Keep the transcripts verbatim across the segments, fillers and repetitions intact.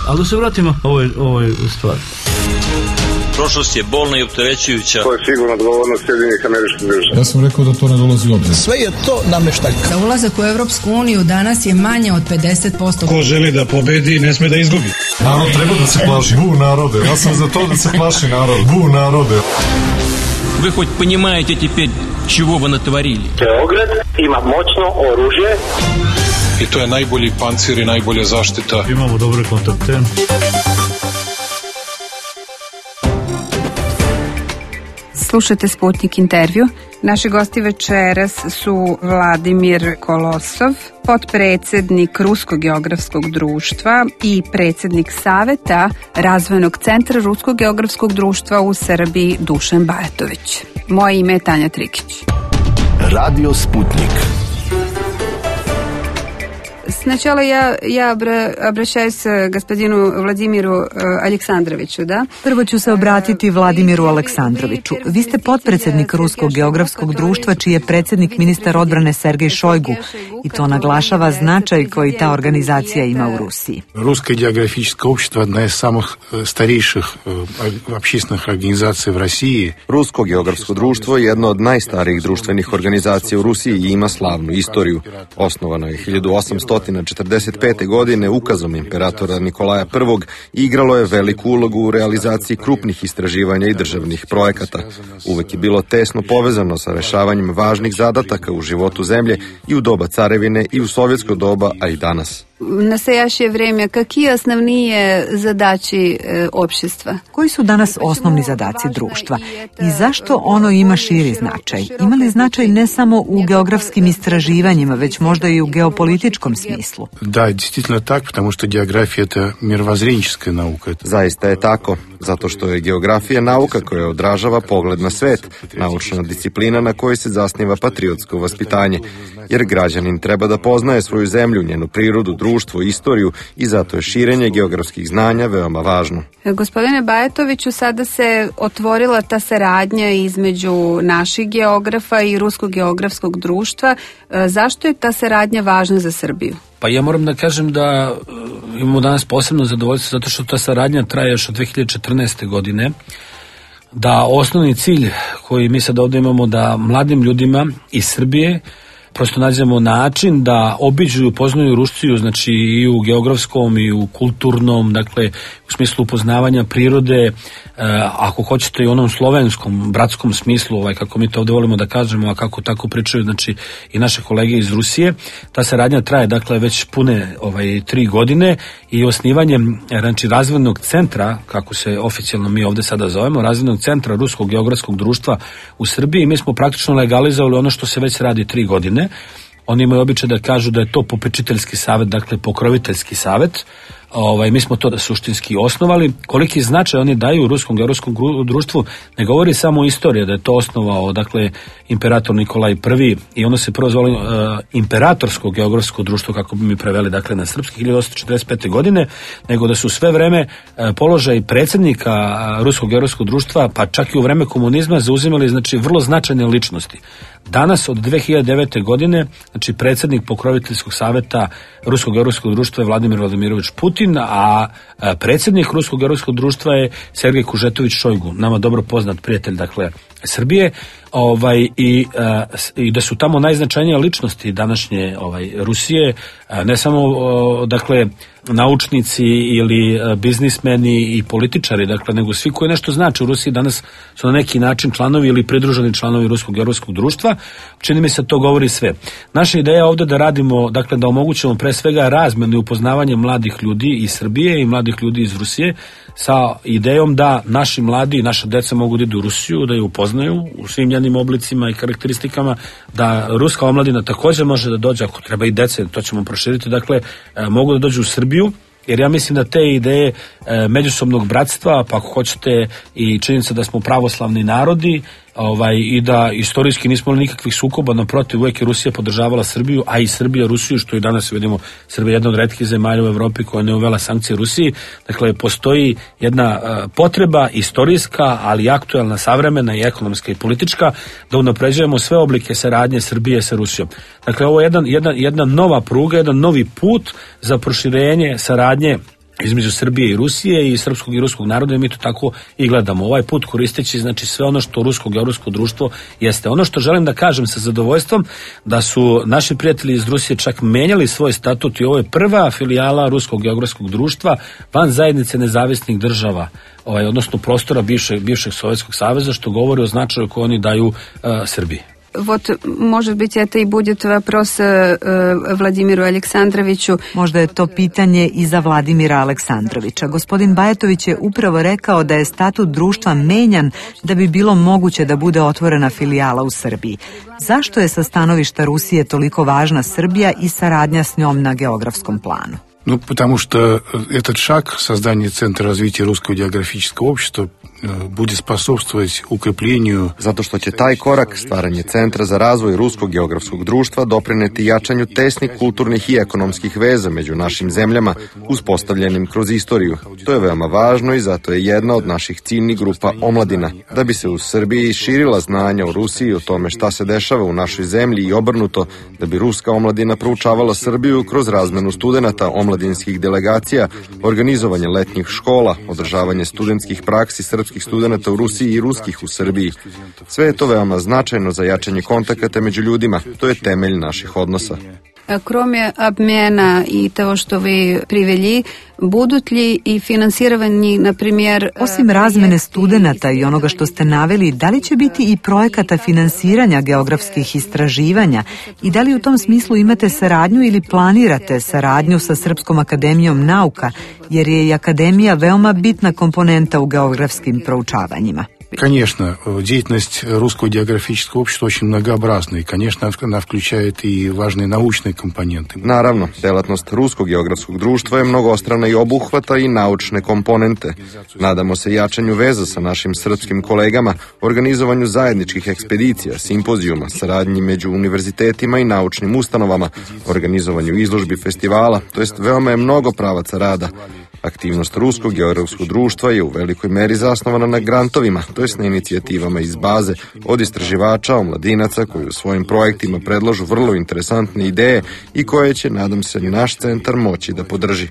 Ali da se vratimo ovoj, ovoj stvari. Prošlost je bolna i opterećujuća. To je sigurno odgovornost Sjedinjenih Američkih Država. Ja sam rekao da to ne dolazi u obzir. Sve je to nameštaljka. Da ulazak u Evropsku uniju danas je manje od pedeset posto. Ko želi da pobedi, ne sme da izgubi. Narod treba da se plaši. Bu narode. Ja sam za to da se plaši narod. Bu narode. Вы хоть понимаете теперь, чего вы натворили? Beograd ima moćno oružje. I to je najbolji pancir i najbolja zaštita. Imamo dobre kontakte. Slušajte Sputnik intervju. Naši gosti večeras su Vladimir Kolosov, potpredsednik Ruskog geografskog društva i predsednik Saveta Razvojnog centra Ruskog geografskog društva u Srbiji Dušan Bajatović. Moje ime je Tanja Trikić. Radio Sputnik. Сначала я, я обращаюсь к господину Владимиру Aleksandroviću, da? Prvo ću se obratiti Vladimiru Aleksandroviću. Vi ste potpredsednik Ruskog geografskog društva, čiji je predsednik ministar odbrane Sergej Šojgu, i to naglašava značaj koji ta organizacija ima u Rusiji. Rusko geografsko общество одна из самых старейших общественных организаций в России. Rusko geografsko društvo je jedno od najstarijih društvenih organizacija u Rusiji i ima slavnu istoriju. Osnovano je hiljadu osamsto četrdeset pete. godine ukazom imperatora Nikolaja Prvog i igralo je veliku ulogu u realizaciji krupnih istraživanja i državnih projekata. Uvek je bilo tesno povezano sa rešavanjem važnih zadataka u životu zemlje i u doba carevine i u sovjetsko doba, a i danas. В настоящее время какие основные задачи э, общества? Koji su danas osnovni zadaci društva i zašto ono ima širi značaj? Ima li značaj ne samo u geografskim istraživanjima, već možda i u geopolitičkom smislu? Da, действительно так, потому что география это мировоззренческая наука. Zaista je tako, zato što je geografija nauka koja odražava pogled na svet, naučna disciplina na kojoj se zasniva patriotsko vaspitanje, jer građanin treba da poznaje svoju zemlju, njenu prirodu, društvo, istoriju i zato je širenje geografskih znanja veoma važno. Gospodine Bajatoviću, sada se otvorila ta saradnja između naših geografa i Ruskog geografskog društva. Zašto je ta saradnja važna za Srbiju? Pa ja moram da kažem da imamo danas posebno zadovoljstvo zato što ta saradnja traje još od dve hiljade četrnaeste. godine. Da osnovni cilj koji mi sad ovdje imamo da mladim ljudima iz Srbije prosto nađemo način da obiđu i upoznaju Rusiju, znači i u geografskom i u kulturnom, dakle u smislu upoznavanja prirode, e, ako hoćete i u onom slovenskom, bratskom smislu, ovaj, kako mi to ovdje volimo da kažemo, a kako tako pričaju, znači i naše kolege iz Rusije. Ta saradnja traje, dakle, već pune ovaj, tri godine i osnivanjem, znači, razvojnog centra, kako se oficijalno mi ovdje sada zovemo, razvojnog centra Ruskog geografskog društva u Srbiji, mi smo praktično legalizovali ono što se već radi tri godine. Oni imaju običaj da kažu da je to popečiteljski savet, dakle pokroviteljski savet. Ovaj, mi smo to da suštinski osnovali. Koliki značaj oni daju u Ruskom geografskom društvu ne govori samo o istoriji, da je to osnovao, dakle, imperator Nikolaj Prvi i ono se prvo zvalo uh, imperatorsko geografsko društvo, kako bi mi preveli, dakle, na srpski hiljadu osamsto četrdeset pete. godine, nego da su sve vreme uh, položaj predsjednika uh, Ruskog geografskog društva, pa čak i u vreme komunizma, zauzimali, znači, vrlo značajne ličnosti. Danas, od dve hiljade devete. godine, znači, predsjednik pokroviteljskog saveta Ruskog geografskog društva je Vladimir Vladimirović Putin, a predsjednik Ruskog geografskog društva je Sergej Kužetović Šojgu, nama dobro poznat prijatelj, dakle, Srbije, ovaj, i, i da su tamo najznačajnije ličnosti današnje ovaj, Rusije, ne samo, dakle, naučnici ili biznismeni i političari, dakle, nego svi koji nešto znači u Rusiji danas su na neki način članovi ili pridruženi članovi Ruskog geografskog društva. Čini mi se to govori sve. Naša ideja je ovdje da radimo, dakle, da omogućimo pre svega razmenu i upoznavanje mladih ljudi iz Srbije i mladih ljudi iz Rusije sa idejom da naši mladi i naša deca mogu da idu u Rusiju, da je upoznaju u svim njenim oblicima i karakteristikama, da ruska omladina također može da dođe, ako treba i dece, to ćemo proširiti, dakle, mogu da dođu u Srbiju, jer ja mislim da te ideje e, međusobnog bratstva, pa ako hoćete i činjenica da smo pravoslavni narodi, ovaj, i da istorijski nismo imali nikakvih sukoba, naprotiv, uvijek je Rusija podržavala Srbiju, a i Srbija Rusiju, što i danas vidimo, Srbija je jedna od retkih zemalja u Evropi koja ne uvela sankcije Rusiji. Dakle, postoji jedna uh, potreba istorijska, ali aktuelna, savremena i ekonomska i politička, da unapređujemo sve oblike saradnje Srbije sa Rusijom. Dakle, ovo je jedan, jedna, jedna nova pruga, jedan novi put za proširenje saradnje između Srbije i Rusije i srpskog i ruskog naroda, i mi to tako i gledamo. Ovaj put koristeći, znači, sve ono što rusko geografsko društvo jeste. Ono što želim da kažem sa zadovoljstvom, da su naši prijatelji iz Rusije čak menjali svoj statut i ovo je prva filijala ruskog geografskog društva van zajednice nezavisnih država, ovaj, odnosno prostora bivšeg, bivšeg Sovjetskog saveza, što govori o značaju koji oni daju uh, Srbiji. Вот, может быть, это и будет вопрос э, Владимиру Александровичу. Možda je to pitanje i za Vladimira Aleksandrovića. Gospodin Bajatović je upravo rekao da je statut društva menjan da bi bilo moguće da bude otvorena filijala u Srbiji. Zašto je sa stanovišta Rusije toliko važna Srbija i saradnja s njom na geografskom planu? Ну, потому что этот шаг, создание Центра развития русского географического общества, bude spособствовать укреплению. Zato što će taj korak, stvaranje Centra za razvoj ruskog geografskog društva, doprineti jačanju tesnih kulturnih i ekonomskih veza među našim zemljama, uspostavljenim kroz istoriju. To je veoma važno i zato je jedna od naših ciljnih grupa omladina. Da bi se u Srbiji širila znanja o Rusiji, o tome šta se dešava u našoj zemlji i obrnuto, da bi ruska omladina proučavala Srbiju kroz razmenu studenata, omladinskih delegacija, organizovanje letnjih škola, održavanje studentskih praksi srpskih studenata u Rusiji i ruskih u Srbiji. Sve je to veoma značajno za jačanje kontakata među ljudima. To je temelj naših odnosa. Кроме обмена и того, что вы привели, будут ли и финансирование, например... Osim razmene studenata i onoga što ste naveli, da li će biti i projekata finansiranja geografskih istraživanja i da li u tom smislu imate saradnju ili planirate saradnju sa Srpskom akademijom nauka, jer je i akademija veoma bitna komponenta u geografskim proučavanjima? Конечно, деятельность русского географического общества очень многообразна, и, конечно, она включает и важные научные компоненты. Naravno, delatnost Ruskog geografskog društva je mnogostrana i obuhvata i naučne komponente. Nadamo se jačanju veza sa našim srpskim kolegama, organizovanju zajedničkih ekspedicija, simpozijuma, saradnji među univerzitetima i naučnim ustanovama, organizovanju izložbi festivala, to jest veoma je mnogo pravaca rada. Aktivnost Ruskog geografskog društva je u velikoj meri zasnovana na grantovima, to jest na inicijativama iz baze od istraživača, omladinaca koji u svojim projektima predlažu vrlo interesantne ideje i koje će, nadam se, naš centar moći da podrži.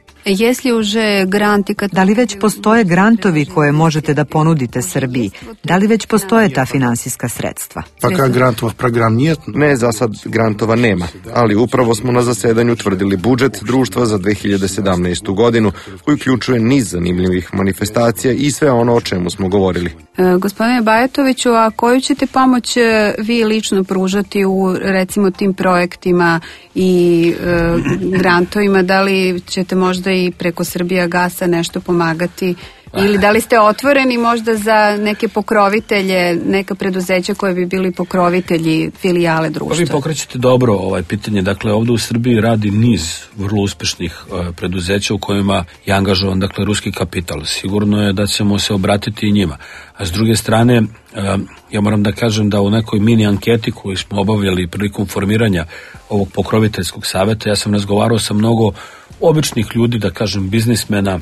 Da li već postoje grantovi koje možete da ponudite Srbiji? Da li već postoje ta finansijska sredstva? Пока грантовых программ нет. Ne, za sad grantova nema, ali upravo smo na zasedanju utvrdili budžet društva za dve hiljade sedamnaestu godinu, koji uključuje niz zanimljivih manifestacija i sve ono o čemu smo govorili. E, gospodine Bajatoviću, a koju ćete pomoć vi lično pružati u, recimo, tim projektima i e, grantovima? Da li ćete možda i preko Srbijagasa nešto pomagati? Ili da li ste otvoreni možda za neke pokrovitelje, neka preduzeća koje bi bili pokrovitelji filijale društva? Vi pokrećete dobro ovaj pitanje. Dakle, ovdje u Srbiji radi niz vrlo uspešnih uh, preduzeća u kojima je angažovan, dakle, ruski kapital. Sigurno je da ćemo se obratiti i njima. A s druge strane, uh, ja moram da kažem da u nekoj mini anketi koju smo obavljali prilikom formiranja ovog pokroviteljskog saveta, ja sam razgovarao sa mnogo običnih ljudi, da kažem, biznismena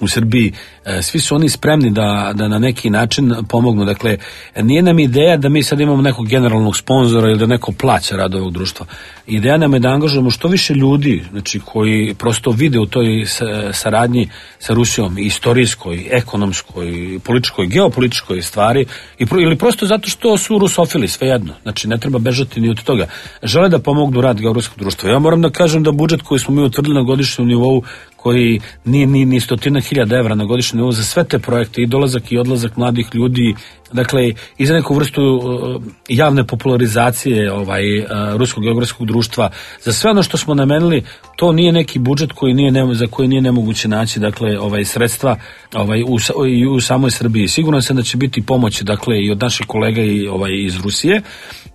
u Srbiji, svi su oni spremni da, da na neki način pomognu. Dakle, nije nam ideja da mi sad imamo nekog generalnog sponzora ili da neko plaća rad ovog društva. Ideja nam je da angažujemo što više ljudi, znači, koji prosto vide u toj saradnji sa Rusijom, istorijskoj, ekonomskoj, političkoj, geopolitičkoj stvari, i pro, ili prosto zato što su rusofili, svejedno. Znači, ne treba bežati ni od toga. Žele da pomognu rad geografskog društva. Ja moram da kažem da budžet koji smo mi utvrdili na godišnjem nivou, koji nije ni, ni stotina hiljada evra na godišnjem nivou za sve te projekte, i dolazak i odlazak mladih ljudi dakle i za neku vrstu uh, javne popularizacije ovaj uh, Ruskog geografskog društva, za sve ono što smo namenili, to nije neki budžet koji nije ne, za koji nije nemoguće naći dakle ovaj sredstva ovaj u, i u samoj Srbiji. Sigurno sam da će biti pomoći dakle i od naših kolega i ovaj iz Rusije.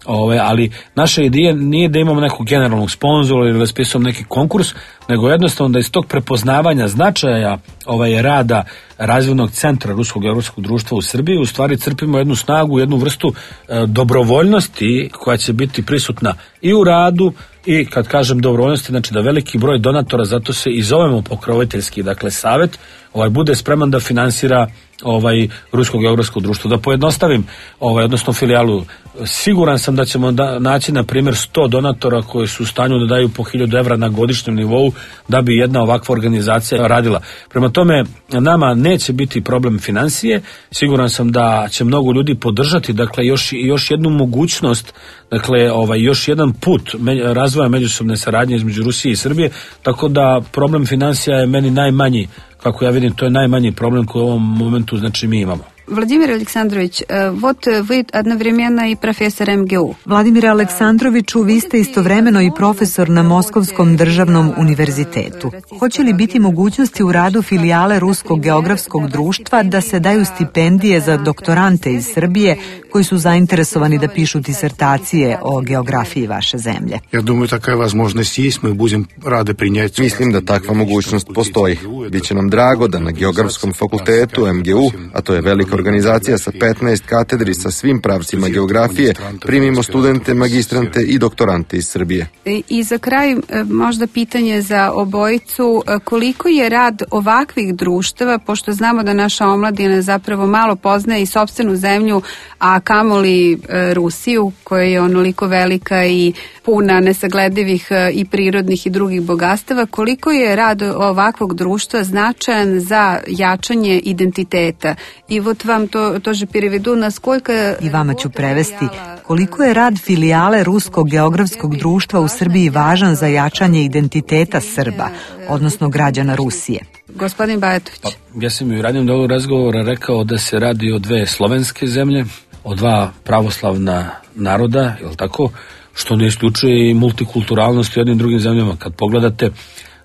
Ove, ali naša ideja nije da imamo nekog generalnog sponzora ili raspisujemo neki konkurs, nego jednostavno da iz tog prepoznavanja značaja ovaj rada razvojnog centra Ruskog geografskog društva u Srbiji u stvari crpimo jednu snagu, jednu vrstu e, dobrovoljnosti koja će biti prisutna i u radu i kad kažem dobrovoljnosti, znači da veliki broj donatora, zato se i zovemo pokroviteljski, dakle savet, ovaj bude spreman da finansira ovaj Rusko geografsko društvo. Da pojednostavim, ovaj odnosno filijalu, siguran sam da ćemo da, naći na primjer sto donatora koji su u stanju da daju po hiljadu evra na godišnjem nivou da bi jedna ovakva organizacija radila. Prema tome, nama neće biti problem financije, siguran sam da će mnogo ljudi podržati, dakle još još jednu mogućnost, dakle ovaj još jedan put razvoja međusobne saradnje između Rusije i Srbije, tako da problem financija je meni najmanji. Kako ja vidim, to je najmanji problem koji u ovom momentu znači mi imamo. Vladimir Aleksandrović, вот вы одновременно и профессор эм гэ у. Vladimire Aleksandroviću, vi ste istovremeno i profesor na Moskovskom državnom univerzitetu. Hoće li biti mogućnosti u radu filijale Ruskog geografskog društva da se daju stipendije za doktorante iz Srbije koji su zainteresovani da pišu disertacije o geografiji vaše zemlje? Ja думаю, такая возможность есть, мы будем рады принять. Mislim da takva mogućnost postoji. Biće nam drago da na Geografskom fakultetu em ge u, a to je velika organizacija sa petnaest katedri sa svim pravcima geografije, primimo studente, magistrante i doktorante iz Srbije. I za kraj možda pitanje za obojicu, koliko je rad ovakvih društava, pošto znamo da naša omladina zapravo malo poznaje i sopstvenu zemlju, a kamoli Rusiju, koja je onoliko velika i puna nesagledivih i prirodnih i drugih bogatstava, koliko je rad ovakvog društva značajan za jačanje identiteta? I вот vam to тоже переведу, насколько... I vama ću prevesti. Koliko je rad filijale Ruskog geografskog društva u Srbiji važan za jačanje identiteta Srba, odnosno građana Rusije? Gospodin Bajatović. Pa, ja sam i u radnjem delu razgovora rekao da se radi o dve slovenske zemlje, o dva pravoslavna naroda, je li tako? Što ne isključuje i multikulturalnost u jednim drugim zemljama. Kad pogledate,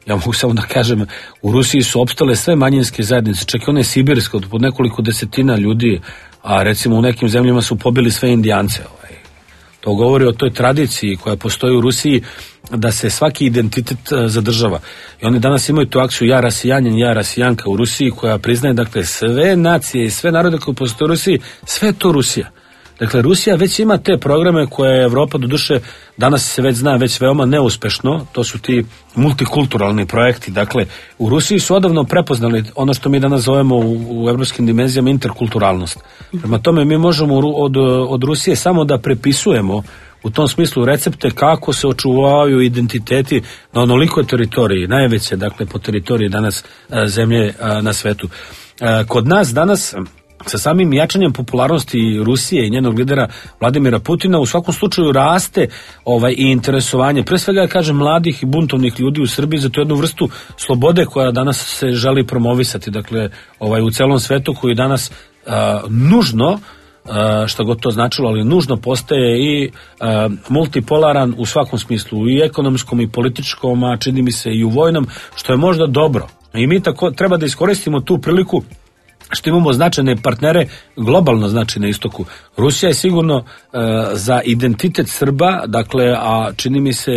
ja mogu samo da kažem, u Rusiji su opstale sve manjinske zajednice, čak i one sibirske, od pod nekoliko desetina ljudi, a recimo u nekim zemljama su pobili sve Indijance. Ovaj. To govori o toj tradiciji koja postoji u Rusiji, da se svaki identitet zadržava. I oni danas imaju tu akciju Ja rasijanjen, ja rasijanka u Rusiji, koja priznaje, dakle, sve nacije i sve narode koje postoje u Rusiji, sve je to Rusija. Dakle, Rusija već ima te programe koje je Evropa, doduše, danas se već zna, već veoma neuspešno, to su ti multikulturalni projekti. Dakle, u Rusiji su odavno prepoznali ono što mi danas zovemo u, u evropskim dimenzijama interkulturalnost. Prema tome, mi možemo od, od Rusije samo da prepisujemo u tom smislu recepte kako se očuvaju identiteti na onolikoj teritoriji, najveće, dakle, po teritoriji danas zemlje na svetu. Kod nas danas, sa samim jačanjem popularnosti Rusije i njenog lidera Vladimira Putina, u svakom slučaju raste ovaj i interesovanje, pre svega, kažem, mladih i buntovnih ljudi u Srbiji za tu jednu vrstu slobode koja danas se želi promovisati, dakle, ovaj u celom svetu, koji danas a, nužno, a, šta god to značilo, ali nužno postaje i a, multipolaran u svakom smislu, i ekonomskom i političkom, a čini mi se i u vojnom, što je možda dobro. I mi tako treba da iskoristimo tu priliku što imamo značajne partnere, globalno znači na istoku. Rusija je sigurno uh, za identitet Srba, dakle, a čini mi se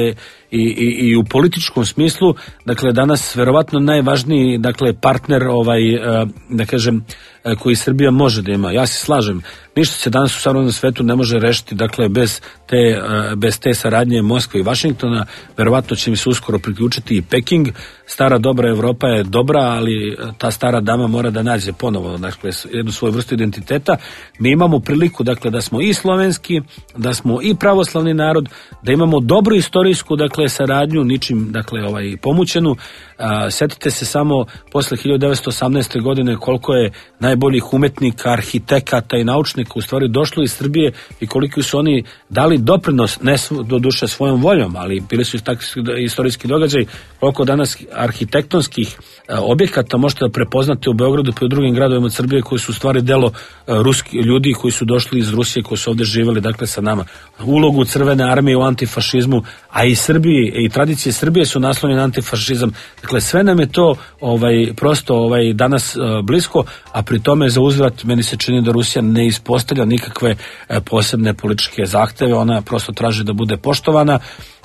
i, i, i u političkom smislu, dakle, danas verovatno najvažniji, dakle, partner, ovaj, uh, da kažem, uh, koji Srbija može da ima. Ja se slažem, ništa se danas u savremenom svetu ne može rešiti, dakle, bez te, uh, bez te saradnje Moskve i Vašingtona. Verovatno će mi se uskoro priključiti i Peking. Stara dobra Evropa je dobra, ali ta stara dama mora da nađe ponovo, dakle, jednu svoju vrstu identiteta. Mi imamo priliku, dakle, da smo i slovenski, da smo i pravoslavni narod, da imamo dobru istorijsku, dakle, saradnju, ničim, dakle, ovaj, pomućenu. A, setite se samo posle hiljadu devetsto osamnaeste. godine koliko je naj najboljih umetnika, arhitekata i naučnika u stvari došlo iz Srbije i koliko su oni dali doprinos, ne do duše svojom voljom, ali bili su takvi istorijski događaj, koliko danas arhitektonskih objekata možete da prepoznate u Beogradu pa i u drugim gradovima Srbije koji su u stvari delo ruski ljudi koji su došli iz Rusije, koji su ovde živeli, dakle sa nama. Ulogu Crvene armije u antifašizmu, a i Srbiji i tradicije Srbije su naslonjene na antifašizam. Dakle, sve nam je to ovaj, prosto ovaj, danas uh, blisko, a pri tome za uzvrat meni se čini da Rusija ne ispostavlja nikakve uh, posebne političke zahteve, ona prosto traži da bude poštovana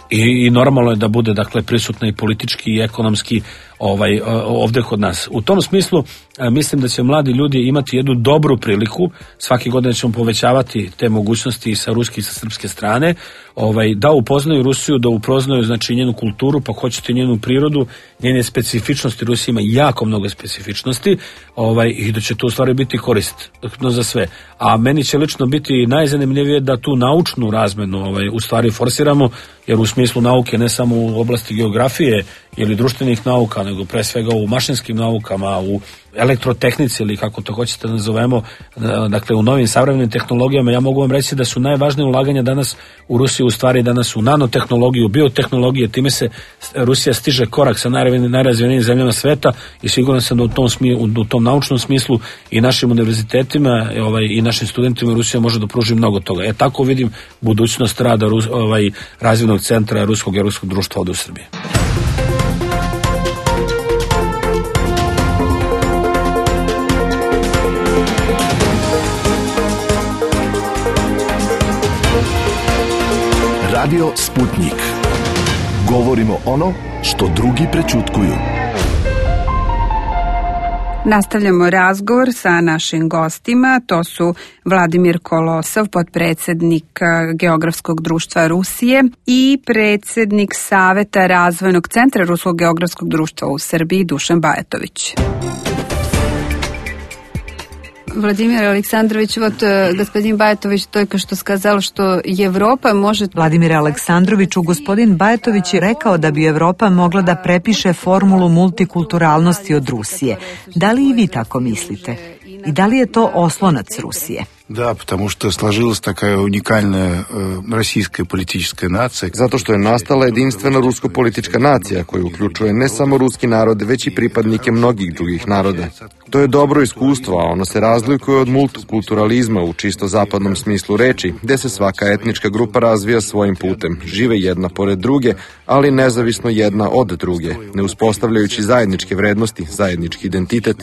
i, i normalno je da bude dakle prisutna i politički i ekonomski ovaj ovde kod nas. U tom smislu mislim da će mladi ljudi imati jednu dobru priliku, svake godine ćemo povećavati te mogućnosti i sa ruske i sa srpske strane, ovaj da upoznaju Rusiju, da upoznaju znači njenu kulturu, pa hoćete njenu prirodu, njene specifičnosti. Rusija ima jako mnogo specifičnosti, ovaj i da će to u stvari biti korist no za sve. A meni će lično biti najzanimljivije da tu naučnu razmenu ovaj u stvari forsiramo, jer u smislu nauke ne samo u oblasti geografije ili društvenih nauka, nego pre svega u mašinskim naukama, u elektrotehnici ili kako to hoćete da nazovemo, dakle u novim savremenim tehnologijama. Ja mogu vam reći da su najvažnije ulaganja danas u Rusiji u stvari danas u nanotehnologiju, biotehnologije, time se Rusija stiže korak sa najrazvijenijim zemljama sveta i siguran sam da u tom, smi, u tom naučnom smislu i našim univerzitetima ovaj, i našim studentima Rusija može da pruži mnogo toga. E tako vidim budućnost rada ovaj, razvojnog centra Ruskog i Ruskog društva ovde u Srbiji. Radio Sputnik. Govorimo ono što drugi prećutkuju. Nastavljamo razgovor sa našim gostima. To su Vladimir Kolosov, potpredsednik Geografskog društva Rusije i predsednik Saveta Razvojnog centra Ruskog geografskog društva u Srbiji Dušan Bajatović. Владимир Александрович, вот господин Бајатович только что сказал, что Европа может... Vladimir Aleksandroviću, gospodin Bajatović je rekao da bi Evropa mogla da prepiše formulu multikulturalnosti od Rusije. Da li i vi tako mislite? I da li je to oslonac Rusije? Да, потому что сложилась такая уникальная э, российская политическая нация. Zato što je nastala jedinstvena rusko-politička nacija koja uključuje ne samo ruski narod, već i pripadnike mnogih drugih naroda. To je dobro iskustvo, a ono se razlikuje od multikulturalizma u čisto zapadnom smislu reči, gde se svaka etnička grupa razvija svojim putem, žive jedna pored druge, ali nezavisno jedna od druge, ne uspostavljajući zajedničke vrednosti, zajednički identitet.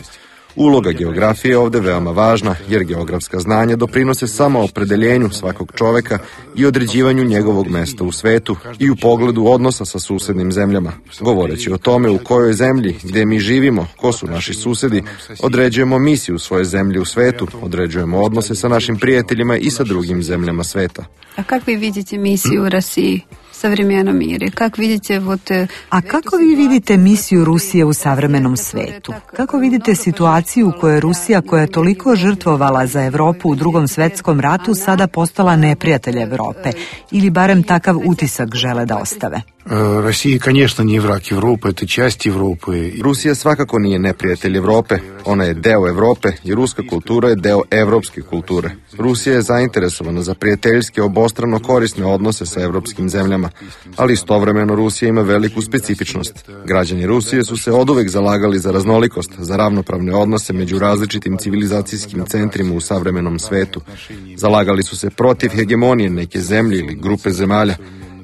Uloga geografije je ovde veoma važna, jer geografska znanja doprinose samo opredeljenju svakog čoveka i određivanju njegovog mesta u svetu i u pogledu odnosa sa susednim zemljama. Govoreći o tome u kojoj zemlji, gde mi živimo, ko su naši susedi, određujemo misiju svoje zemlje u svetu, određujemo odnose sa našim prijateljima i sa drugim zemljama sveta. A kako vi vidite misiju u Rusiji? Savremenom miri. Kako vidite, вот... A kako vi vidite misiju Rusije u savremenom svetu? Kako vidite situaciju u kojoj Rusija, koja je toliko žrtvovala za Evropu u Drugom svetskom ratu, sada postala neprijatelj Evrope? Ili barem takav utisak žele da ostave? Rusija, конечно, nije vrak Evrope, to je часть Evrope. Rusija svakako nije neprijatelj Evrope. Ona je deo Evrope i ruska kultura je deo evropske kulture. Rusija je zainteresovana za prijateljske, obostrano korisne odnose sa evropskim zemljama, ali istovremeno Rusija ima veliku specifičnost. Građani Rusije su se oduvek zalagali za raznolikost, za ravnopravne odnose među različitim civilizacijskim centrima u savremenom svetu. Zalagali su se protiv hegemonije neke zemlje ili grupe zemalja,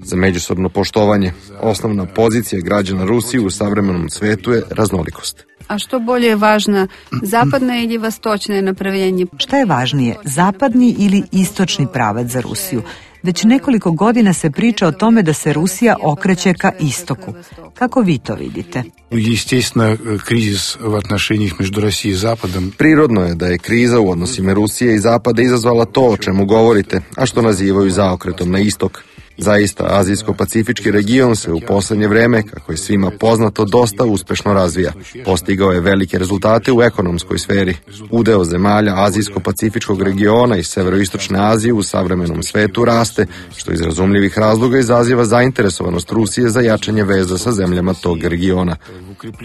za međusobno poštovanje. Osnovna pozicija građana Rusije u savremenom svetu je raznolikost. A što bolje je važno, zapadno ili vostočno направление? Šta je važnije, zapadni ili istočni pravac za Rusiju? Već nekoliko godina se priča o tome da se Rusija okreće ka istoku. Kako vi to vidite? Естественно, кризис в отношениях между Россией и Западом. Prirodno je da je kriza u odnosima Rusije i Zapada izazvala to o čemu govorite, a što nazivaju zaokretom na istok. Zaista, azijsko-pacifički region se u poslednje vreme, kako je svima poznato, dosta uspešno razvija. Postigao je velike rezultate u ekonomskoj sferi. Udeo zemalja azijsko-pacifičkog regiona i severoistočne Azije u savremenom svetu raste, što iz razumljivih razloga izaziva zainteresovanost Rusije za jačanje veza sa zemljama tog regiona.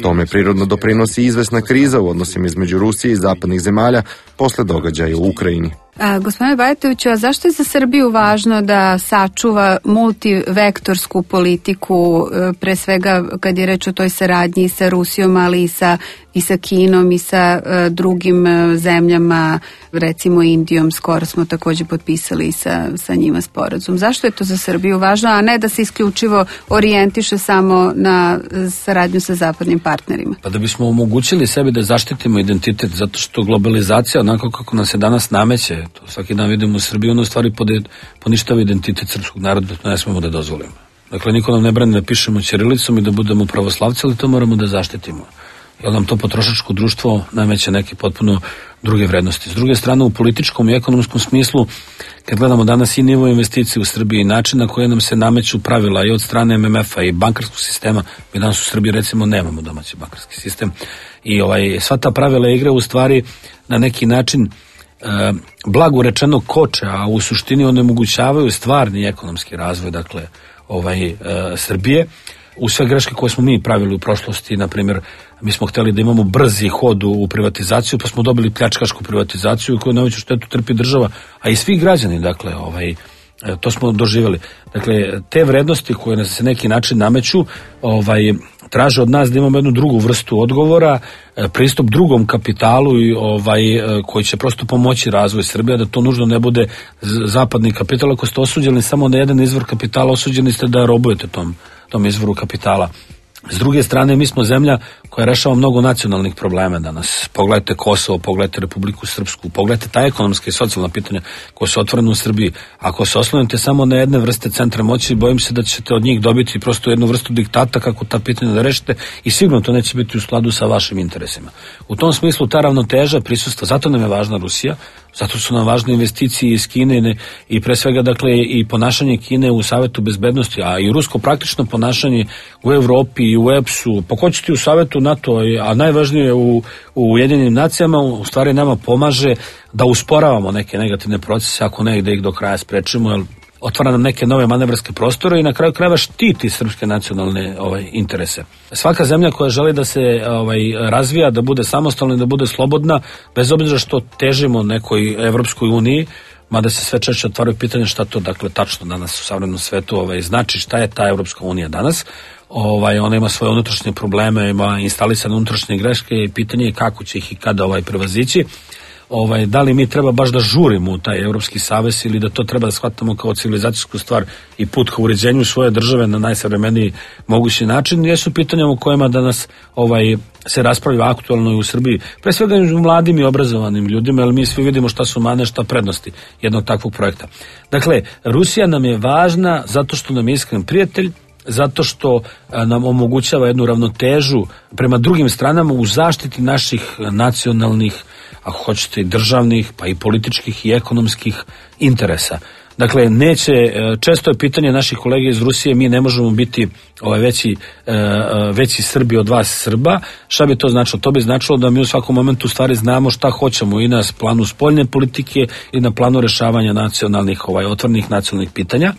Tome prirodno doprinosi izvesna kriza u odnosima između Rusije i zapadnih zemalja posle događaja u Ukrajini. A, gospodine Bajatoviću, a zašto je za Srbiju važno da sačuva multivektorsku politiku, pre svega kad je reč o toj saradnji i sa Rusijom, ali i sa, i sa Kinom i sa uh, drugim uh, zemljama, recimo Indijom, skoro smo takođe potpisali sa, sa njima sporazum. Zašto je to za Srbiju važno, a ne da se isključivo orijentiše samo na saradnju sa zapadnim partnerima? Pa da bismo omogućili sebi da zaštitimo identitet, zato što globalizacija, onako kako nam se danas nameće, to svaki dan vidimo u Srbiji, ono u stvari poništava identitet srpskog naroda, to ne smemo da dozvolimo. Dakle, niko nam ne brani da pišemo ćirilicom i da budemo pravoslavci, ali to moramo da zaštitimo. Jer nam to potrošačko društvo nameće neke potpuno druge vrednosti. S druge strane, u političkom i ekonomskom smislu, kad gledamo danas i nivo investicije u Srbiji i način na koje nam se nameću pravila i od strane em em ef-a i bankarskog sistema, mi danas u Srbiji recimo nemamo domaći bankarski sistem, i ovaj, sva ta pravila igre u stvari na neki način E, blago rečeno koče, a u suštini onemogućavaju stvarni ekonomski razvoj, dakle, ovaj, e, Srbije. U sve greške koje smo mi pravili u prošlosti, na primjer, mi smo hteli da imamo brzi hod u privatizaciju, pa smo dobili pljačkašku privatizaciju koju najveću štetu trpi država, a i svi građani, dakle, ovaj, to smo doživjeli. Dakle, te vrednosti koje nas se neki način nameću, ovaj, traže od nas da imamo jednu drugu vrstu odgovora, pristup drugom kapitalu i ovaj, koji će prosto pomoći razvoj Srbije, da to nužno ne bude zapadni kapital. Ako ste osuđeni samo na jedan izvor kapitala, osuđeni ste da robujete tom, tom izvoru kapitala. S druge strane, mi smo zemlja koja rešava mnogo nacionalnih problema danas. Pogledajte Kosovo, pogledajte Republiku Srpsku, pogledajte ta ekonomska i socijalna pitanja koja su otvorena u Srbiji. Ako se oslonite samo na jedne vrste centra moći, bojim se da ćete od njih dobiti prosto jednu vrstu diktata kako ta pitanja da rešite, i sigurno to neće biti u skladu sa vašim interesima. U tom smislu ta ravnoteža prisustva, zato nam je važna Rusija, zato su nam važne investicije iz Kine i pre svega, dakle, i ponašanje Kine u Savetu bezbednosti, a i rusko praktično ponašanje u Evropi i u E P S-u, pa ko će ti u Savetu NATO, a najvažnije u, u Ujedinjenim nacijama, u stvari nama pomaže da usporavamo neke negativne procese, ako ne da ih do kraja sprečimo, jer otvara nam neke nove manevarske prostore i na kraju krajeva štiti srpske nacionalne ovaj, interese. Svaka zemlja koja želi da se ovaj, razvija, da bude samostalna i da bude slobodna, bez obzira što težimo nekoj Evropskoj uniji, mada se sve češće otvaraju pitanje šta to, dakle, tačno danas u savremenom svetu ovaj, znači, šta je ta Evropska unija danas. Ovaj, ona ima svoje unutrašnje probleme, ima instalisane unutrašnje greške i pitanje je kako će ih i kada ovaj, prevazići. Ovaj, da li mi treba baš da žurimo u taj Evropski savez ili da to treba da shvatamo kao civilizacijsku stvar i put ka uređenju svoje države na najsavremeniji mogući način, jesu pitanja o kojima danas ovaj, se raspravlja aktualno i u Srbiji, pre svega u mladim i obrazovanim ljudima, jer mi svi vidimo šta su mane, šta prednosti jednog takvog projekta. Dakle, Rusija nam je važna zato što nam je iskren prijatelj, zato što nam omogućava jednu ravnotežu prema drugim stranama u zaštiti naših nacionalnih, ako hoćete, i državnih, pa i političkih i ekonomskih interesa. Dakle, neće, često je pitanje naših kolega iz Rusije, mi ne možemo biti ovaj, veći, veći Srbi od vas Srba. Šta bi to značilo? To bi značilo da mi u svakom momentu u stvari znamo šta hoćemo i na planu spoljne politike i na planu rešavanja nacionalnih, ovaj, otvornih nacionalnih pitanja.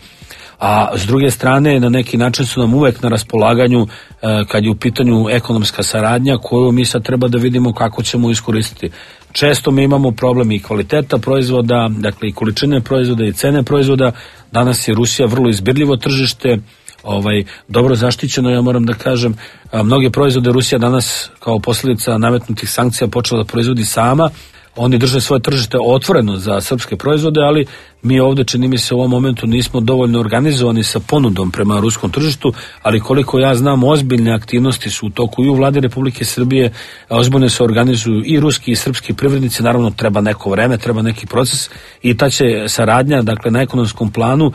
A s druge strane, na neki način su nam uvek na raspolaganju e, kad je u pitanju ekonomska saradnja koju mi sad treba da vidimo kako ćemo iskoristiti. Često mi imamo problem i kvaliteta proizvoda, dakle i količine proizvoda i cene proizvoda. Danas je Rusija vrlo izbirljivo tržište, ovaj, dobro zaštićeno, ja moram da kažem. A, mnoge proizvode Rusija danas kao posljedica nametnutih sankcija počela da proizvodi sama. Oni drže svoje tržište otvoreno za srpske proizvode, ali mi ovde, čini mi se, u ovom momentu nismo dovoljno organizovani sa ponudom prema ruskom tržištu, ali koliko ja znam, ozbiljne aktivnosti su u toku i u vladi Republike Srbije, ozbiljno se organizuju i ruski i srpski privrednici, naravno treba neko vreme, treba neki proces i ta će saradnja, dakle, na ekonomskom planu,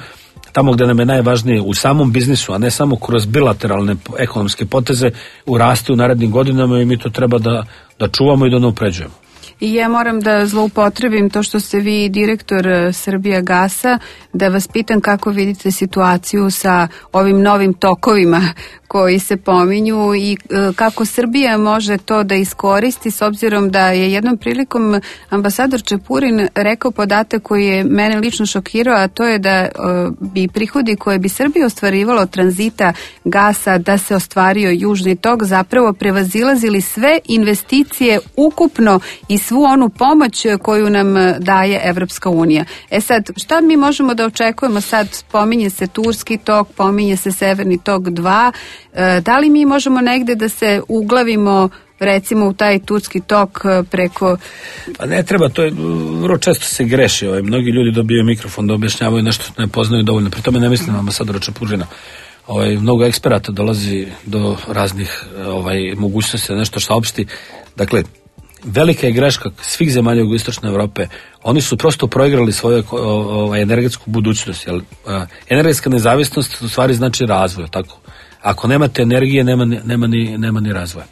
tamo gde nam je najvažnije u samom biznisu, a ne samo kroz bilateralne ekonomske poteze, urasti u narednim godinama i mi to treba da, da čuvamo i da napređujemo. I ja moram da zloupotrebim to što ste vi direktor Srbija gasa, da vas pitam kako vidite situaciju sa ovim novim tokovima koji se pominju i kako Srbija može to da iskoristi, s obzirom da je jednom prilikom ambasador Čepurin rekao podatak koji je mene lično šokirao, a to je da bi prihodi koje bi Srbija ostvarivalo od tranzita gasa da se ostvario Južni tok zapravo prevazilazili sve investicije ukupno i svu onu pomoć koju nam daje Evropska unija. E sad, šta mi možemo da očekujemo sad? Pominje se Turski tok, pominje se Severni tok dva. Da li mi možemo negde da se uglavimo recimo u taj Turski tok preko... Pa ne treba, to je, vrlo često se greši, ovaj, mnogi ljudi dobiju mikrofon da objašnjavaju nešto što ne poznaju dovoljno, pri tome ne mislim na ambasadora Čepurina. Ovaj, mnogo eksperata dolazi do raznih ovaj, mogućnosti da nešto saopšti. Dakle, velika je greška svih zemalja jugoistočne Evrope. Oni su prosto proigrali svoju ovaj, energetsku budućnost. Jel? Energetska nezavisnost u stvari znači razvoj, tako? Ako nemate energije, nema, nema, ni, nema ni razvoja.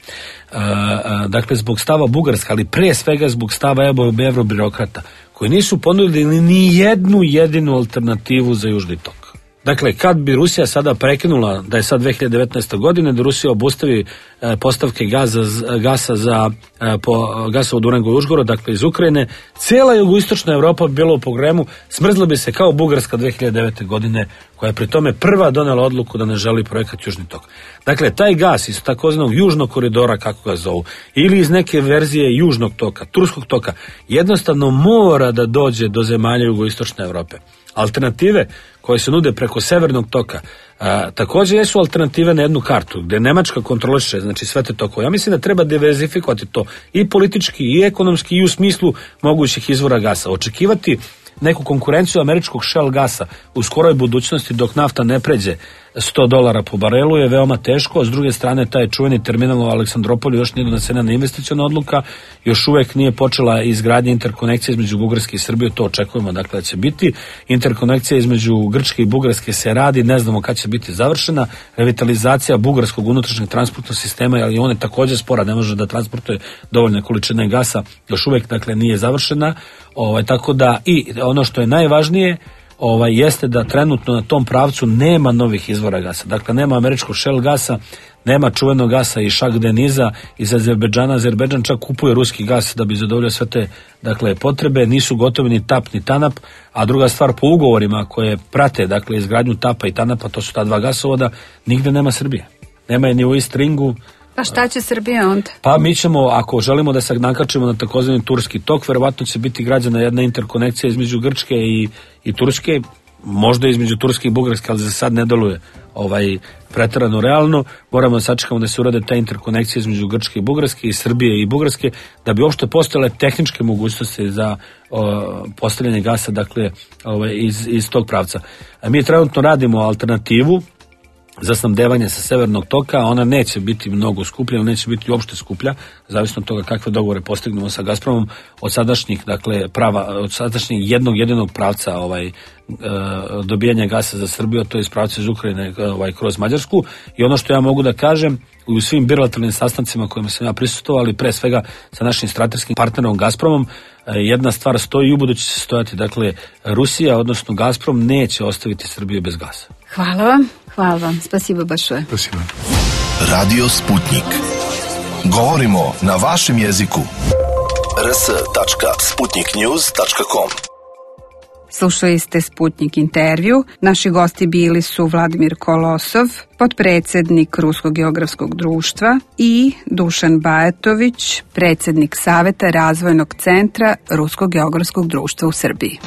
Uh, uh, dakle, zbog stava Bugarska, ali pre svega zbog stava evrobirokrata, koji nisu ponudili ni jednu jedinu alternativu za Južni tok. Dakle, kad bi Rusija sada prekinula, da je sad dve hiljade devetnaeste. godine, da Rusija obustavi e, postavke gaza, gasa za e, po, gasa od Durango i Užgorod, dakle iz Ukrajine, cijela jugoistočna Evropa bi bila u pogremu, smrzla bi se kao Bugarska dve hiljade devete. godine, koja je pri tome prva donela odluku da ne želi projekat Južni tok. Dakle, taj gas iz takozvanog južnog koridora, kako ga zovu, ili iz neke verzije južnog toka, turskog toka, jednostavno mora da dođe do zemalja jugoistočne Evrope. Alternative koje se nude preko severnog toka a, također jesu alternative na jednu kartu gdje Nemačka kontroliše, znači sve te tokove. Ja mislim da treba diverzifikovati to i politički i ekonomski i u smislu mogućih izvora gasa. Očekivati neku konkurenciju američkog shell gasa u skoroj budućnosti dok nafta ne pređe sto dolara po barelu je veoma teško, a s druge strane taj čuveni terminal u Aleksandropolju još nije donesena investiciona odluka, još uvek nije počela izgradnja interkonekcije između Bugarske i Srbije, to očekujemo dakle da će biti. Interkonekcija između Grčke i Bugarske se radi, ne znamo kad će biti završena. Revitalizacija bugarskog unutrašnjeg transportnog sistema, ali on je također spora, ne može da transportuje dovoljne količine gasa, još uvek dakle nije završena. Ovaj, tako da i ono što je najvažnije ovaj, jeste da trenutno na tom pravcu nema novih izvora gasa. Dakle, nema američkog shell gasa, nema čuvenog gasa iz Šak Deniza, iz Azerbejdžana. Azerbejdžan čak kupuje ruski gas da bi zadovoljio sve te dakle, potrebe. Nisu gotovi ni TAP ni TANAP, a druga stvar po ugovorima koje prate dakle, izgradnju TAPA i TANAPA, to su ta dva gasovoda, nigde nema Srbije. Nema je ni u East Ringu. Pa šta će Srbija onda? Pa mi ćemo, ako želimo da se nakačimo na takozvani Turski tok, verovatno će biti građana jedna interkonekcija između Grčke i, i Turske, možda između Turske i Bugarske, ali za sad ne deluje ovaj, preterano realno. Moramo da sačekamo da se urade ta interkonekcija između Grčke i Bugarske i Srbije i Bugarske, da bi uopšte postojale tehničke mogućnosti za o, postavljanje gasa dakle, ovaj, iz, iz tog pravca. A mi trenutno radimo alternativu za snabdevanje sa severnog toka, ona neće biti mnogo skuplja, ona neće biti uopšte skuplja, zavisno od toga kakve dogovore postignemo sa Gazpromom, od sadašnjih, dakle, prava, od sadašnjeg jednog jedinog pravca ovaj, e, dobijanja gasa za Srbiju, to je iz pravca iz Ukrajine ovaj, kroz Mađarsku. I ono što ja mogu da kažem, u svim bilateralnim sastancima kojima sam ja prisustvovao, ali pre svega sa našim strateškim partnerom Gazpromom, jedna stvar stoji i ubuduće će stojati, dakle, Rusija, odnosno Gazprom, neće ostaviti Srbiju bez gasa. Hvala vam, hvala vam, spasibo большое. Спасибо. Radio Sputnik. Govorimo na vašem jeziku. r s tačka sputnik news tačka com. Slušali ste Sputnik intervju. Naši gosti bili su Vladimir Kolosov, potpredsednik Ruskog geografskog društva, i Dušan Bajatović, predsednik Saveta razvojnog centra Ruskog geografskog društva u Srbiji.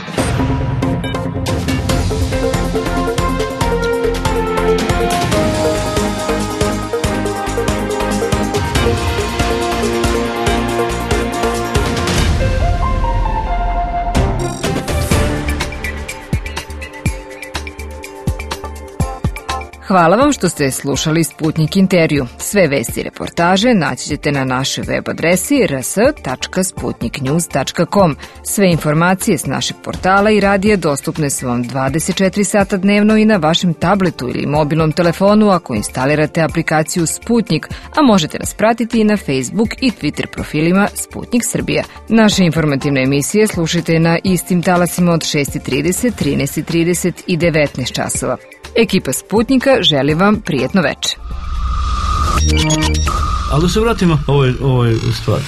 Hvala vam što ste slušali Sputnik intervju. Sve vesti i reportaže naći ćete na našoj web adresi r s tačka sputnik news tačka com. Sve informacije s našeg portala i radija dostupne su vam dvadeset četiri sata dnevno i na vašem tabletu ili mobilnom telefonu ako instalirate aplikaciju Sputnik, a možete nas pratiti i na Facebook i Twitter profilima Sputnik Srbija. Naše informativne emisije slušajte na istim talasima od šest i trideset, trinaest i trideset i devetnaest časova. Ekipa Sputnika želi vam prijetno veče. Ali da se vratimo ovoj, ovoj stvari.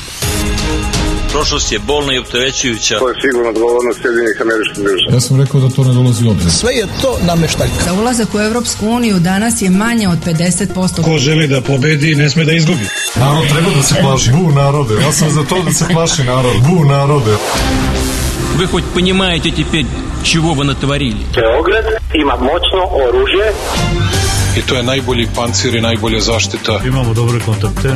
Prošlost je bolna i opterećujuća. To je sigurno odgovornost Sjedinjenih Američkih Država. Ja sam rekao da to ne dolazi u obzir. Sve je to nameštaljka. Za ulazak u Evropsku uniju danas je manje od pedeset posto. Ko želi da pobedi, ne sme da izgubi. Narod treba da se plaši. Bu narode. Ja sam za to da se plaši narod. Bu narode. Вы хоть понимаете теперь, чего вы натворили? Beograd ima moćno oružje. I to je najbolji pancir i najbolja zaštita. Imamo dobre kontakte.